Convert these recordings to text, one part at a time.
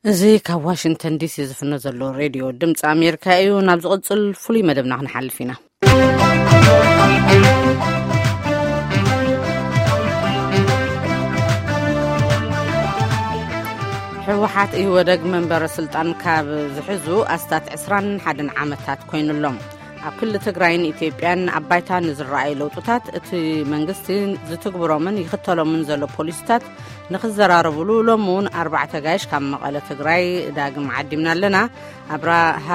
እዚ ካብ ዋሽንግተን ዲሲ ዝፍኖ ዘሎ ሬድዮ ድምፂ ኣሜሪካ እዩ። ናብ ዝቕፅል ፍሉይ መደብና ክንሓልፍ ኢና። ህወሓት ኢህወደግ መንበረ ስልጣን ካብ ዝሕዙ ኣስታት ዕስራን ሓደን ዓመታት ኮይኑሎም። ኣብ ክልል ትግራይን ኢትዮጵያን ኣብ ባይታ ንዝረኣዩ ለውጥታት፣ እቲ መንግስቲ ዝትግብሮምን ይኽተሎምን ዘሎ ፖሊሲታት ንኽዘራረብሉ፣ ሎሚ እውን ኣርባዕተ ጋይሽ ካብ መቐለ ትግራይ ዳግም ዓዲምና ኣለና። ኣብርሃ፣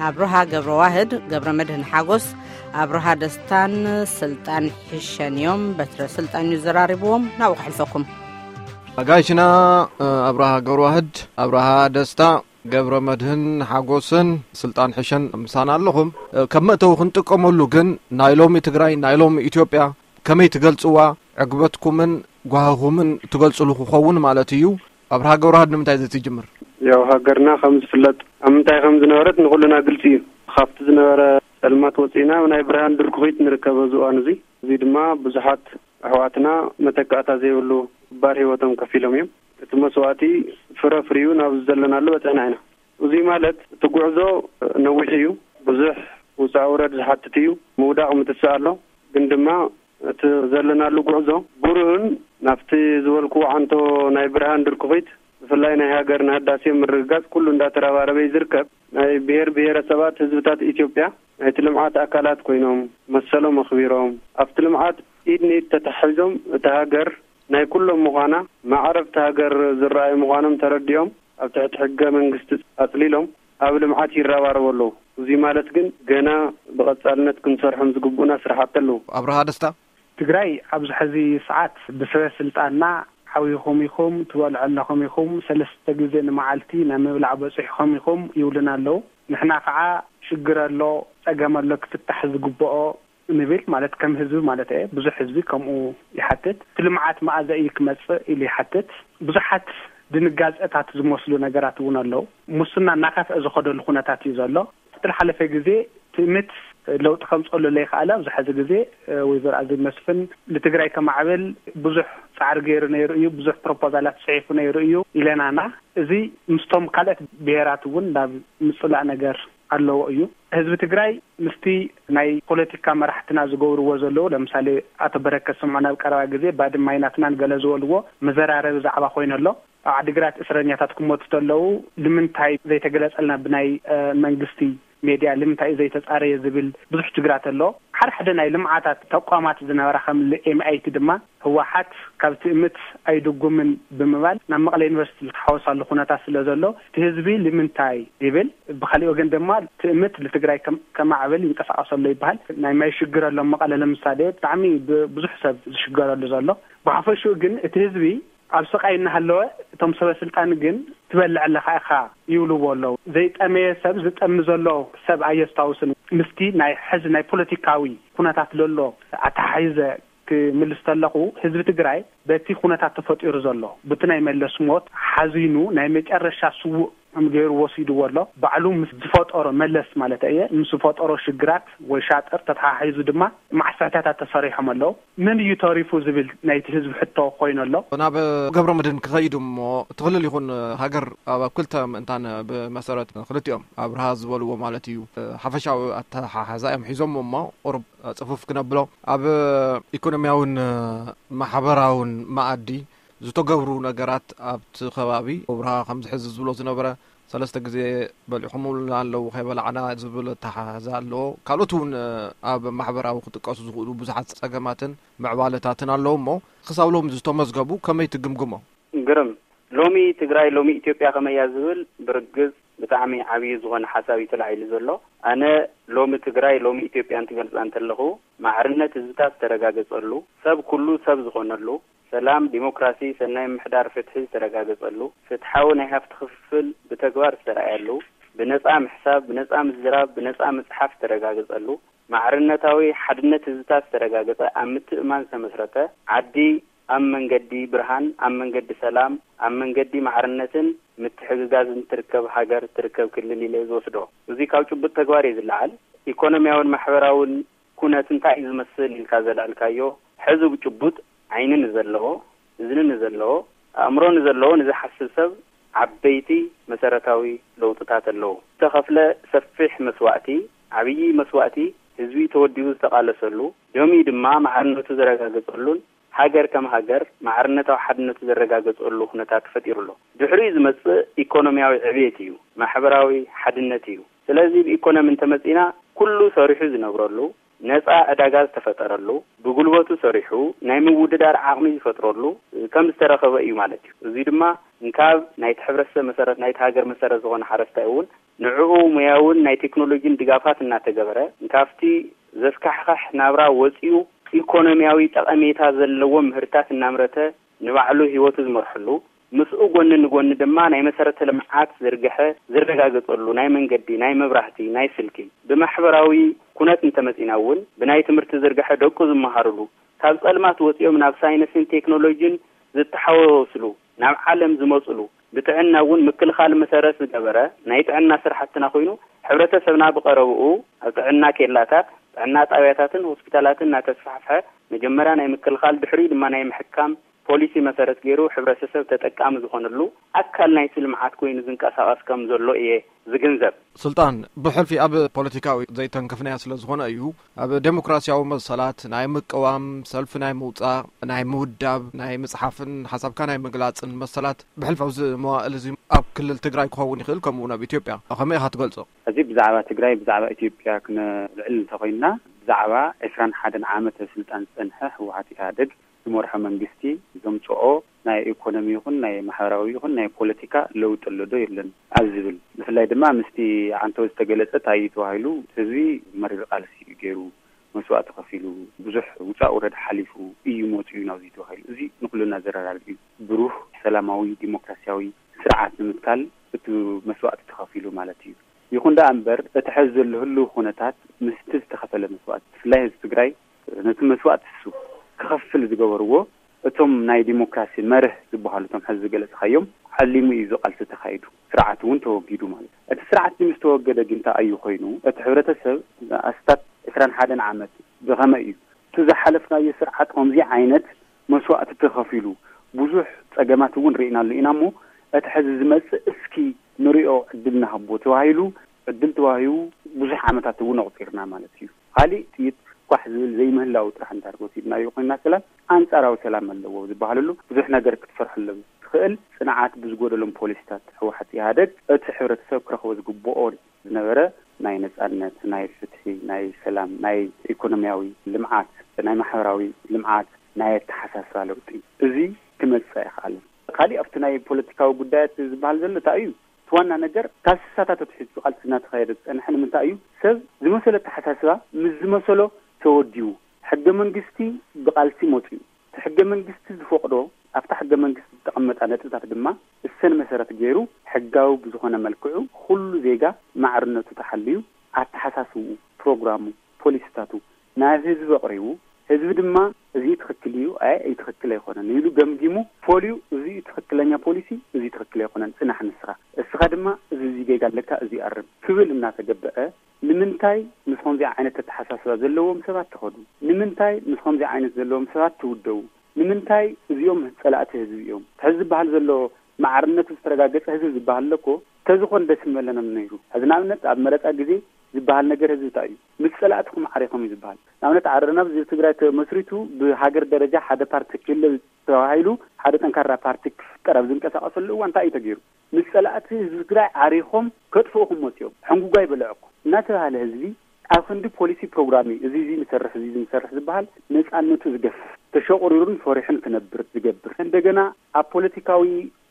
ኣብርሃ ገብረ ዋህድ፣ ገብረ መድህን ሓጎስ፣ ኣብርሃ ደስታን ስልጣን ሕሸን እዮም። በትረ ስልጣን እዩ ዘራሪብዎም። ናብኡ ክሕልፈኩም። ጋይሽና ኣብርሃ ገብረ ዋህድ፣ ኣብርሃ ደስታ፣ ገብረ መድህን ሓጎስን ስልጣን ሕሸን ምሳና ኣለኹም። ከም መእተዊ ክንጥቀመሉ ግን፣ ናይ ሎሚ ትግራይ፣ ናይ ሎሚ ኢትዮጵያ ከመይ ትገልጽዋ? ዕግበትኩምን ጓህኹምን ትገልጽሉ ክኸውን ማለት እዩ። ኣብርሃ ገብረዋህድ፣ ንምንታይ ዘይትጅምር? ያው፣ ሃገርና ከም ዝፍለጥ ኣብ ምንታይ ከም ዝነበረት ንኹልና ግልጺ እዩ። ካብቲ ዝነበረ ጸልማት ወጺእና ኣብ ናይ ብርሃን ድርኩኺት ንርከብ ኣብዚ እዋን እዚ። እዚ ድማ ብዙሓት ኣሕዋትና መተካእታ ዘይብሉ ክባር ህይወቶም ከፊሎም እዮም። እቲ መስዋእቲ ፍረ ፍርዩ ናብ ዘለናሉ በጺሕና ኢና። እዚ ማለት እቲ ጉዕዞ ነዊሕ እዩ። ብዙሕ ውጻእ ውረድ ዝሓትት እዩ። ምውዳቕ ምትሳእ ኣሎ። ግን ድማ እቲ ዘለናሉ ጉዕዞ ብሩህን ናብቲ ዝበልኩዎ ዓንቶ ናይ ብርሃን ድርኩኺት፣ ብፍላይ ናይ ሃገርና ህዳሴ ምርግጋጽ ኩሉ እንዳተረባረበ እዩ ዝርከብ። ናይ ብሔር ብሔረሰባት ህዝብታት ኢትዮጵያ ናይቲ ልምዓት ኣካላት ኮይኖም፣ መሰሎም ኣኽቢሮም፣ ኣብቲ ልምዓት ኢድ ንኢድ ተታሒዞም፣ እታ ሃገር ናይ ኩሎም ምዃና፣ ማዕረብቲ ሃገር ዝረኣዩ ምዃኖም ተረዲኦም፣ ኣብ ትሕቲ ሕገ መንግስቲ ኣጽሊሎም ኣብ ልምዓት ይረባረቡ ኣለዉ። እዚ ማለት ግን ገና ብቐጻልነት ክንሰርሖም ዝግብኡና ስራሕቲ ኣለዉ። ኣብርሃ ደስታ። ትግራይ ኣብዚ ሕዚ ሰዓት ብሰበ ስልጣንና ሓዊኹም ኢኹም፣ ትበልዑ ኣለኹም ኢኹም፣ ሰለስተ ግዜ ንመዓልቲ ናብ ምብላዕ በፂሕኹም ኢኹም ይብሉና ኣለዉ። ንሕና ከዓ ሽግር ኣሎ፣ ፀገም ኣሎ፣ ክፍታሕ ዝግብኦ ንብል፣ ማለት ከም ህዝቢ ማለት እየ። ብዙሕ ህዝቢ ከምኡ ይሓትት። እቲ ልምዓት መኣዘ እዩ ክመፅእ ኢሉ ይሓትት። ብዙሓት ድንጋፀታት ዝመስሉ ነገራት እውን ኣለዉ። ሙስና እናኸፍአ ዝኸደሉ ኩነታት እዩ ዘሎ። ኣብቲ ዝሓለፈ ግዜ ትእምት ለውጢ ከምፅኣሉ ለይከኣለ፣ ኣብዚ ሕዚ ግዜ፣ እ፣ ወይዘሮ ኣዜብ መስፍን ንትግራይ ከማዕብል ብዙሕ ፃዕሪ ገይሩ ነይሩ እዩ፣ ብዙሕ ፕሮፖዛላት ፅሒፉ ነይሩ እዩ ኢለናና። እዚ ምስቶም ካልኦት ብሄራት እውን ናብ ምፅላእ ነገር ኣለዎ እዩ። ህዝቢ ትግራይ ምስቲ ናይ ፖለቲካ መራሕትና ዝገብርዎ ዘለዉ፣ ለምሳሌ ኣቶ በረከት ስምዖን ኣብ ቀረባ ግዜ ባድመ ኣይናትናን ገለ ዝበልዎ መዘራረቢ ዛዕባ ኮይኑ ኣሎ። ኣብ ዓዲግራት እስረኛታት ክሞቱ ተለዉ ንምንታይ ዘይተገለጸልና ብናይ፣ እ፣ መንግስቲ ሜድያ፣ ንምንታይ እዩ ዘይተጻረየ ዝብል ብዙሕ ችግራት ኣሎ። ሓደ ሓደ ናይ ልምዓታት ተቋማት ዝነበራ ከም ኤምኣይቲ ድማ ህወሓት ካብ ትእምት ኣይድጉምን ብምባል ናብ መቐለ ዩኒቨርሲቲ ዝተሓወሳሉ ኩነታት ስለ ዘሎ እቲ ህዝቢ ንምንታይ ይብል። ብኻሊእ ወገን ድማ ትእምት ንትግራይ ከም-፣ ከማዕብል ይንቀሳቐስ ኣሎ ይበሃል። ናይ ማይ ሽግር ኣሎ መቐለ ለምሳሌ ብጣዕሚ ብ-፣ ብዙሕ ሰብ ዝሽገረሉ ዘሎ። ብሓፈሽኡ ግን እቲ ህዝቢ ኣብ ስቓይ እናሃለወ እቶም ሰበ ስልጣን ግን ትበልዕ ኣለኻ ኢኻ ይብልዎ ኣለዉ። ዘይጠመየ ሰብ ዝጠሚ ዘሎ ሰብ ኣየስታውስን። ምስቲ ናይ ሕዚ ናይ ፖለቲካዊ ኩነታት ለሎ ኣተሓሒዘ ክምልስ ተለኹ፣ ህዝቢ ትግራይ በቲ ኩነታት ተፈጢሩ ዘሎ፣ በቲ ናይ መለስ ሞት ሓዚኑ ናይ መጨረሻ ስዉእ ከም ገይሩ ወሲድዎ ኣሎ። ባዕሉ ምስ ዝፈጠሮ፣ መለስ ማለት እየ፣ ምስ ዝፈጠሮ ሽግራት ወይ ሻጥር ተተሓሒዙ ድማ ማዕስዕታታት ተሰሪሖም ኣለዉ። መን እዩ ተሪፉ ዝብል ናይቲ ህዝቢ ሕቶ ኮይኑ ኣሎ። ናብ ገብረ መድህን ክኸይድ እሞ፣ እቲ ክልል ይኹን ሃገር ኣብ፣ ኣብ ክልተ ምእንታን ብመሰረት ክልቲኦም ኣብርሃ ዝበልዎ ማለት እዩ፣ ሓፈሻዊ ኣተሓሓዛ እዮም ሒዞም እሞ፣ ቁሩብ ጽፉፍ ክነብሎ፣ ኣብ ኢኮኖሚያውን ማሕበራውን መኣዲ ዝተገብሩ ነገራት ኣብቲ ከባቢ ኣብርሃ ከምዚ ሕዚ ዝብሎ ዝነበረ ሰለስተ ግዜ በሊዕኹምልና ኣለዉ፣ ከይበላዕና ዝብል ኣተሓሕዛ ኣለዎ። ካልኦት እውን ኣብ ማሕበራዊ ክጥቀሱ ዝኽእሉ ብዙሓት ጸገማትን ምዕባለታትን ኣለዉ እሞ፣ ክሳብ ሎሚ ዝተመዝገቡ ከመይ ትግምግሞ? ግርም። ሎሚ ትግራይ፣ ሎሚ ኢትዮጵያ ከመይ እያ ዝብል ብርግጽ ብጣዕሚ ዓብዪ ዝኾነ ሓሳብ እዩ ተላዒሉ ዘሎ። ኣነ ሎሚ ትግራይ፣ ሎሚ ኢትዮጵያ እንትገልጻ እንተለኹ፣ ማዕርነት ህዝብታት ዝተረጋገጸሉ፣ ሰብ ኩሉ ሰብ ዝኾነሉ፣ ሰላም፣ ዲሞክራሲ፣ ሰናይ ምምሕዳር፣ ፍትሒ ዝተረጋገጸሉ፣ ፍትሓዊ ናይ ሃፍቲ ክፍፍል ብተግባር ዝተረኣየሉ፣ ብነጻ ምሕሳብ፣ ብነጻ ምዝራብ፣ ብነጻ ምጽሓፍ ዝተረጋገጸሉ፣ ማዕርነታዊ ሓድነት ህዝብታት ዝተረጋገጸ፣ ኣብ ምትእምማን ዝተመስረተ፣ ዓዲ ኣብ መንገዲ ብርሃን፣ ኣብ መንገዲ ሰላም፣ ኣብ መንገዲ ማዕርነትን ምትሕግጋዝን ትርከብ ሃገር፣ ትርከብ ክልል ኢለ ዝወስዶ። እዚ ካብ ጭቡጥ ተግባር እዩ ዝለዓል። ኢኮኖሚያውን ማሕበራውን ኩነት እንታይ እዩ ዝመስል ኢልካ ዘልዐልካዮ፣ ሕዚ ብጭቡጥ ዓይኒ ንዘለዎ፣ እዝኒ ንዘለዎ፣ ኣእምሮ ንዘለዎ፣ ንዝሓስብ ሰብ ዓበይቲ መሰረታዊ ለውጥታት ኣለዉ። ዝተኸፍለ ሰፊሕ መስዋእቲ፣ ዓብዪ መስዋእቲ፣ ህዝቢ ተወዲቡ ዝተቓለሰሉ፣ ደምዩ ድማ ማዕርነቱ ዘረጋገጸሉን ሃገር ከም ሃገር ማዕርነታዊ ሓድነቱ ዘረጋገጸሉ ኩነታት ተፈጢሩ ኣሎ። ድሕሪኡ ዝመጽእ ኢኮኖሚያዊ ዕብየት እዩ፣ ማሕበራዊ ሓድነት እዩ። ስለዚ ብኢኮኖሚ እንተመጺና፣ ኩሉ ሰሪሑ ዝነብረሉ፣ ነጻ ዕዳጋ ዝተፈጠረሉ፣ ብጉልበቱ ሰሪሑ ናይ ምውድዳር ዓቕሚ ዝፈጥረሉ ከም ዝተረኸበ እዩ ማለት እዩ። እዚ ድማ እንካብ ናይቲ ሕብረተሰብ መሰረት፣ ናይቲ ሃገር መሰረት ዝኾነ ሓረስታይ እውን ንዕኡ ሙያውን ናይ ቴክኖሎጂን ድጋፋት እናተገበረ፣ እንካብቲ ዘስካሕኻሕ ናብራ ወጺኡ ኢኮኖሚያዊ ጠቐሜታ ዘለዎ ምህርታት እናምረተ ንባዕሉ ህይወቱ ዝመርሐሉ፣ ምስኡ ጎኒ ንጎኒ ድማ ናይ መሰረተ ልምዓት ዝርግሐ ዝረጋገጸሉ፣ ናይ መንገዲ፣ ናይ መብራህቲ፣ ናይ ስልኪ፣ ብማሕበራዊ ኩነት እንተመጺና እውን ብናይ ትምህርቲ ዝርግሐ ደቁ ዝመሃርሉ፣ ካብ ጸልማት ወጺኦም ናብ ሳይንስን ቴክኖሎጂን ዝተሓወስሉ፣ ናብ ዓለም ዝመጽሉ፣ ብጥዕና እውን ምክልኻል መሰረት ዝገበረ ናይ ጥዕና ስራሕትና ኮይኑ፣ ሕብረተሰብና ብቐረብኡ ኣብ ጥዕና ኬላታት፣ ጥዕና ጣብያታትን ሆስፒታላትን እናተስፋሕፍሐ፣ መጀመርያ ናይ ምክልኻል፣ ድሕሪኡ ድማ ናይ ምሕካም ፖሊሲ መሰረት ገይሩ ሕብረተሰብ ተጠቃሚ ዝኾነሉ ኣካል ናይቲ ልምዓት ኮይኑ ዝንቀሳቐስ ከም ዘሎ እየ ዝግንዘብ። ስልጣን፣ ብሕልፊ ኣብ ፖለቲካዊ ዘይተንከፍናዮ ስለ ዝኾነ እዩ። ኣብ ዴሞክራሲያዊ መሰላት ናይ ምቅዋም፣ ሰልፊ ናይ ምውጻእ፣ ናይ ምውዳብ፣ ናይ ምጽሓፍን ሓሳብካ ናይ ምግላጽን መሰላት ብሕልፊ ኣብዚ መዋእል እዚ ኣብ ክልል ትግራይ ክኸውን ይኽእል፣ ከምኡ እውን ኣብ ኢትዮጵያ። ከመይ ኢኻ ትገልጾ? ሕዚ ብዛዕባ ትግራይ፣ ብዛዕባ ኢትዮጵያ ክነልዕል እንተኾይንና፣ ብዛዕባ ዕስራን ሓደን ዓመት ኣብ ስልጣን ዝጸንሐ ህወሓት ኢህኣደግ ዝመርሖ መንግስቲ ዘምጽኦ ናይ ኢኮኖሚ ይኹን ናይ ማሕበራዊ ይኹን ናይ ፖለቲካ ለውጢ ኣሎ ዶ የለን ኣብ ዝብል፣ ብፍላይ ድማ ምስቲ ዓንተው ዝተገለጸ እንታይ እዩ ተባሂሉ፣ ህዝቢ መሪር ቃልሲ እዩ ገይሩ፣ መስዋእቲ ከፊሉ፣ ብዙሕ ውጻእ ውረድ ሓሊፉ እዩ መጺኡ ናብዚ ተባሂሉ። እዚ ንኩልና ዘረዳድእ እዩ። ብሩህ ሰላማዊ ዲሞክራሲያዊ ስርዓት ንምትካል እቲ መስዋእቲ ተኸፊሉ ማለት እዩ። ይኹን ደኣ እምበር፣ እቲ ሕዚ ዘሎ ህልው ኩነታት ምስቲ ዝተኸፈለ መስዋእቲ፣ ብፍላይ ህዝቢ ትግራይ ነቲ መስዋእቲ እሱ ክኸፍል ዝገበርዎ፣ እቶም ናይ ዲሞክራሲ መርህ ዝበሃሉ፣ እቶም ሕዚ ዝገለጽካዮም፣ ዓሊሙ እዩ እዚ ቃልሲ ተኻይዱ። ስርዓት እውን ተወጊዱ ማለት እዩ። እቲ ስርዓት ምስ ተወገደ ግን እንታይ እዩ ኮይኑ? እቲ ሕብረተሰብ ኣስታት ዕስራን ሓደን ዓመት ብኸመይ እዩ እቲ ዝሓለፍናዮ ስርዓት ከምዚ ዓይነት መስዋእቲ ተኸፊሉ፣ ብዙሕ ጸገማት እውን ርኢናሉ ኢና እሞ፣ እቲ ሕዚ ዝመጽእ እስኪ ንሪኦ ዕድል ንሃቦ ተባሂሉ፣ ዕድል ተዋሂቡ ብዙሕ ዓመታት እውን ኣቑጺርና ማለት እዩ። ካሊእ ጥይት ኳሕ ዝብል ዘይምህላው ጥራሕ እንድሕር ወሲድናዮ ኮይንና ሰላም፣ ኣንጻራዊ ሰላም ኣለዎ ዝበሃለሉ ብዙሕ ነገር ክትሰርሐሎም ትኽእል ጽንዓት ብዝጎደሎም ፖሊሲታት ህወሓት ኢህኣደግ እቲ ሕብረተሰብ ክረኽቦ ዝግብኦ ዝነበረ ናይ ነጻነት፣ ናይ ፍትሒ፣ ናይ ሰላም፣ ናይ ኢኮኖሚያዊ ልምዓት፣ ናይ ማሕበራዊ ልምዓት፣ ናይ ኣተሓሳስባ ለውጢ፣ እዚ ክመጽእ ኣይከኣለን። ካሊእ ኣብቲ ናይ ፖለቲካዊ ጉዳያት ዝበሃል ዘሎ እንታይ እዩ? እቲ ዋና ነገር ካብ ስሳታት ኣትሒዙ ቃልሲ እናተኻየደ ዝጸንሐ ንምንታይ እዩ? ሰብ ዝመሰሎ ኣተሓሳስባ ምስ ዝመሰሎ ተወዲቡ፣ ሕገ መንግስቲ ብቃልሲ መጺኡ፣ እቲ ሕገ መንግስቲ ዝፈቕዶ ኣብታ ሕገ መንግስቲ ዝተቐመጣ ነጥብታት ድማ እሰን መሰረት ገይሩ ሕጋዊ ብዝኾነ መልክዑ ኩሉ ዜጋ ማዕርነቱ ተሓልዩ ኣተሓሳስብኡ፣ ፕሮግራሙ፣ ፖሊሲታቱ ናብ ህዝቢ ኣቕሪቡ፣ ህዝቢ ድማ እዚ ትኽክል እዩ፣ ኣይ፣ እዚ ትኽክል ኣይኮነን ኢሉ ገምጊሙ፣ ፈልዩ፣ እዚ እዩ ትኽክለኛ ፖሊሲ፣ እዚ ትኽክል ኣይኮነን፣ ጽናሕ ንስኻ፣ እስኻ ድማ እዚ፣ እዚ ጌጋ ኣለካ፣ እዚ ኣርም ክብል እናተገበአ፣ ንምንታይ ምስ ከምዚ ዓይነት ኣተሓሳስባ ዘለዎም ሰባት ትኸዱ? ንምንታይ ምስ ከምዚ ዓይነት ዘለዎም ሰባት ትውደቡ? ንምንታይ እዚኦም ጸላእቲ ህዝቢ እዮም? ሕዚ ዝበሃል ዘሎ ማዕርነቱ ዝተረጋገጸ ህዝቢ ዝበሃል ኣሎ እኮ፣ ተዝኾን ደስ ምበለና ነይሩ። ሕዚ ንኣብነት ኣብ መረጻ ግዜ ዝበሃል ነገር ህዝቢ እንታይ እዩ? ምስ ጸላእትኹም ዓሪኾም እዩ ዝበሃል። ንኣብነት ዓረና ህዝቢ ትግራይ ተመስሪቱ ብሃገር ደረጃ ሓደ ፓርቲ ክህለ ተባሂሉ ሓደ ጠንካራ ፓርቲ ክፍጠር ኣብ ዝንቀሳቐሰሉ እዋን እንታይ እዩ ተገይሩ? ምስ ጸላእቲ ህዝቢ ትግራይ ዓሪኾም ከጥፍኡኹም መጺኦም። ሕንጉጓይ በልዐኩም እናተባህለ ህዝቢ ኣብ ክንዲ ፖሊሲ ፕሮግራም እዩ፣ እዚ፣ እዚ ንሰርሕ፣ እዚ፣ እዚ ንሰርሕ ዝበሃል ነጻነቱ ዝገፍፍ፣ ተሸቑሪሩን ፈሪሑን ክነብር ዝገብር፣ እንደገና ኣብ ፖለቲካዊ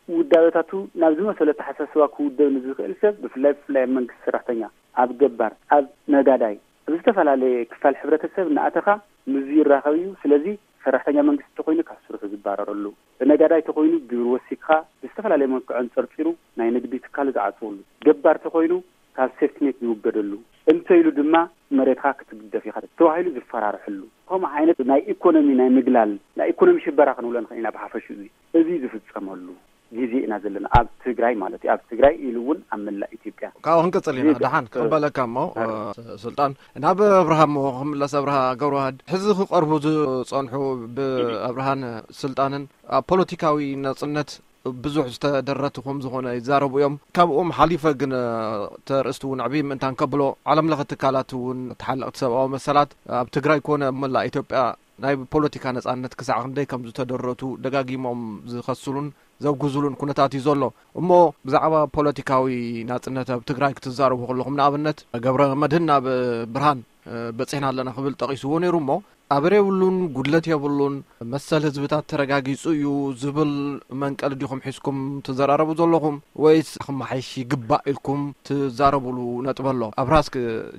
ውዳበታቱ ናብ ዝመሰሎ ኣተሓሳስባ ክውደብ ንዝኽእል ሰብ፣ ብፍላይ፣ ብፍላይ ኣብ መንግስቲ ሰራሕተኛ፣ ኣብ ገባር፣ ኣብ ነጋዳይ፣ ኣብ ዝተፈላለየ ክፋል ሕብረተሰብ እናኣተኻ ምስዚ ይራኸብ እዩ። ስለዚ ሰራሕተኛ መንግስቲ ተኾይኑ ካብ ስርሑ ዝባረረሉ፣ ነጋዳይ ተኾይኑ ግብሪ ወሲኽካ ብዝተፈላለየ መልክዑ ኣንጸርጺሩ ናይ ንግዲ ትካሉ ዝዓጽወሉ፣ ገባር ተኾይኑ ካብ ሴፍትኔት ዝውገደሉ፣ እንተ ኢሉ ድማ መሬትካ ክትግደፍ ኢኻ ተባሂሉ ዝፈራርሐሉ፣ ከምኡ ዓይነት ናይ ኢኮኖሚ ናይ ምግላል፣ ናይ ኢኮኖሚ ሽበራ ክንብሎ ንኽእል ኢና ብሓፈሽኡ። እዚ፣ እዚ ዝፍጸመሉ ግዜ ኢና ዘለና፣ ኣብ ትግራይ ማለት እዩ። ኣብ ትግራይ ኢሉ እውን ኣብ መላእ ኢትዮጵያ። ካብኡ ክንቅጽል ኢና። እዚ ደሓን እ፣ ክቕበለካ እሞ፣ እ፣ ስልጣን፣ ናብ ኣብርሃ እሞ ክምለስ። ኣብርሃ ገብረዋህድ፣ ሕዚ ክቐርቡ ዝጸንሑ ብኣብርሃን ስልጣንን ኣብ ፖለቲካዊ ናጽነት ብዙሕ ዝተደረቱ ከም ዝኾነ ይዛረቡ እዮም። ካብኦም ሓሊፈ ግን፣ እ፣ ተርእስቲ እውን ዕብይ ምእንታን ከብሎ፣ ዓለም ለኸ ትካላት እውን፣ ተሓለቕቲ ሰብኣዊ መሰላት ኣብ ትግራይ ኮነ ኣብ መላእ ኢትዮጵያ ናይ ፖለቲካ ነጻነት ክሳዕ ክንደይ ከም ዝተደረቱ ደጋጊሞም ዝኸስሉን ዘውግዙሉን ኩነታት እዩ ዘሎ። እሞ ብዛዕባ ፖለቲካዊ ናጽነት ኣብ ትግራይ ክትዛረቡ ከለኹም፣ ንኣብነት ገብረ መድህን ናብ ብርሃን፣ እ፣ በጺሕና ኣለና ክብል ጠቒስዎ ነይሩ። እሞ ኣበረ የብሉን፣ ጉድለት የብሉን፣ መሰል ህዝብታት ተረጋጊጹ እዩ ዝብል መንቀሊ ዲኹም ሒዝኩም ትዘራረቡ ዘለኹም፣ ወይስ ክመሓይሽ ይግባእ ኢልኩም ትዛረቡሉ ነጥቢ ኣሎ? ኣብርሃ፣ እስኪ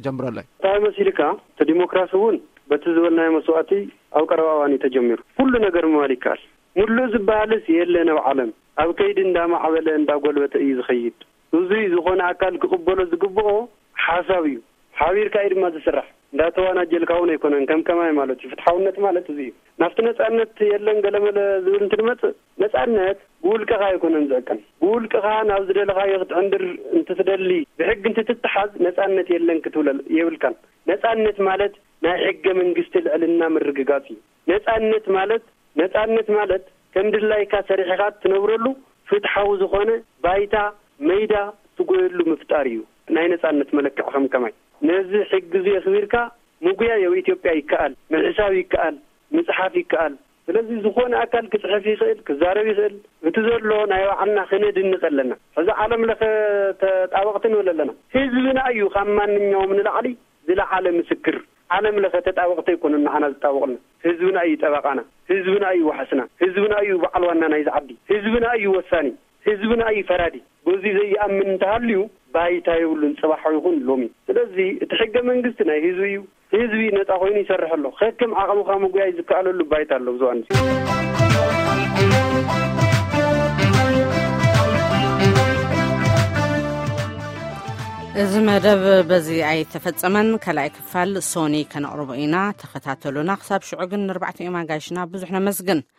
ጀምረለይ። እንታይ መሲልካ? እቲ ዲሞክራሲ እውን በቲ ዝበልናዮ መስዋእቲ ኣብ ቀረባ እዋን እዩ ተጀሚሩ። ኩሉ ነገር ምባል ይከኣል። ሙሉእ ዝበሃልስ የለን ኣብ ዓለም። ኣብ ከይዲ እንዳማዕበለ እንዳጎልበተ እዩ ዝኸይድ። እዙይ ዝኾነ ኣካል ክቕበሎ ዝግብኦ ሓሳብ እዩ። ሓቢርካ እዩ ድማ ዝስራሕ። እንዳተዋናጀልካ እውን ኣይኮነን፣ ከም ከማይ ማለት እዩ። ፍትሓውነት ማለት እዚ እዩ። ናብቲ ነጻነት የለን ገለመለ ዝብል እንትንመጽእ፣ ነጻነት ብውልቅኻ ኣይኮነን ዝዕቀን። ብውልቅኻ ናብ ዝደለኻዮ ክትዕንድር እንትትደሊ፣ ብሕጊ እንትትተሓዝ፣ ነጻነት የለን ክትብለል የብልካን። ነጻነት ማለት ናይ ሕገ መንግስቲ ልዕልና ምርግጋጽ እዩ። ነጻነት ማለት፣ ነጻነት ማለት ከም ድላይካ ሰሪሕኻ ትነብረሉ ፍትሓዊ ዝኾነ ባይታ፣ መይዳ፣ ትጎየሉ ምፍጣር እዩ ናይ ነጻነት መለክዕ። ከም ከማይ ነዚ ሕጊ እዚ የኽቢርካ ምጉያይ ኣብ ኢትዮጵያ ይከኣል፣ ምሕሳብ ይከኣል፣ ምጽሓፍ ይከኣል። ስለዚ ዝኾነ ኣካል ክጽሕፍ ይኽእል፣ ክዛረብ ይኽእል። እቲ ዘሎ ናይ ባዕልና ክነድንቕ ኣለና። ሕዚ ዓለም ለኸ ተጣበቕቲ ንብል ኣለና። ህዝብና እዩ ካብ ማንኛውም ንላዕሊ ዝለዓለ ምስክር። ዓለም ለኸ ተጣበቕቲ ኣይኮኑን ንዓና ዝጣበቑልና። ህዝብና እዩ ጠበቓና፣ ህዝብና እዩ ዋሕስና፣ ህዝብና እዩ በዓል ዋና ናይዚ ዓዲ፣ ህዝብና እዩ ወሳኒ፣ ህዝብና እዩ ፈራዲ። በዚ ዘይኣምን እንተሃልዩ ባይታ የብሉን፣ ጽባሕ ይኹን ሎሚ። ስለዚ እቲ ሕገ መንግስቲ ናይ ህዝቢ እዩ። ህዝቢ ነጻ ኮይኑ ይሰርሕ ኣሎ። ከከም ዓቕምኻ ምጉያይ ዝከኣለሉ ባይታ ኣሎ። ብዙ ኣንስ እዚ መደብ በዚ ኣይተፈጸመን። ካልኣይ ክፋል ሶኒ ከነቕርቦ ኢና። ተኸታተሉና። ክሳብ ሽዑ ግን ንርባዕቲኦም ኣጋይሽና ብዙሕ ነመስግን።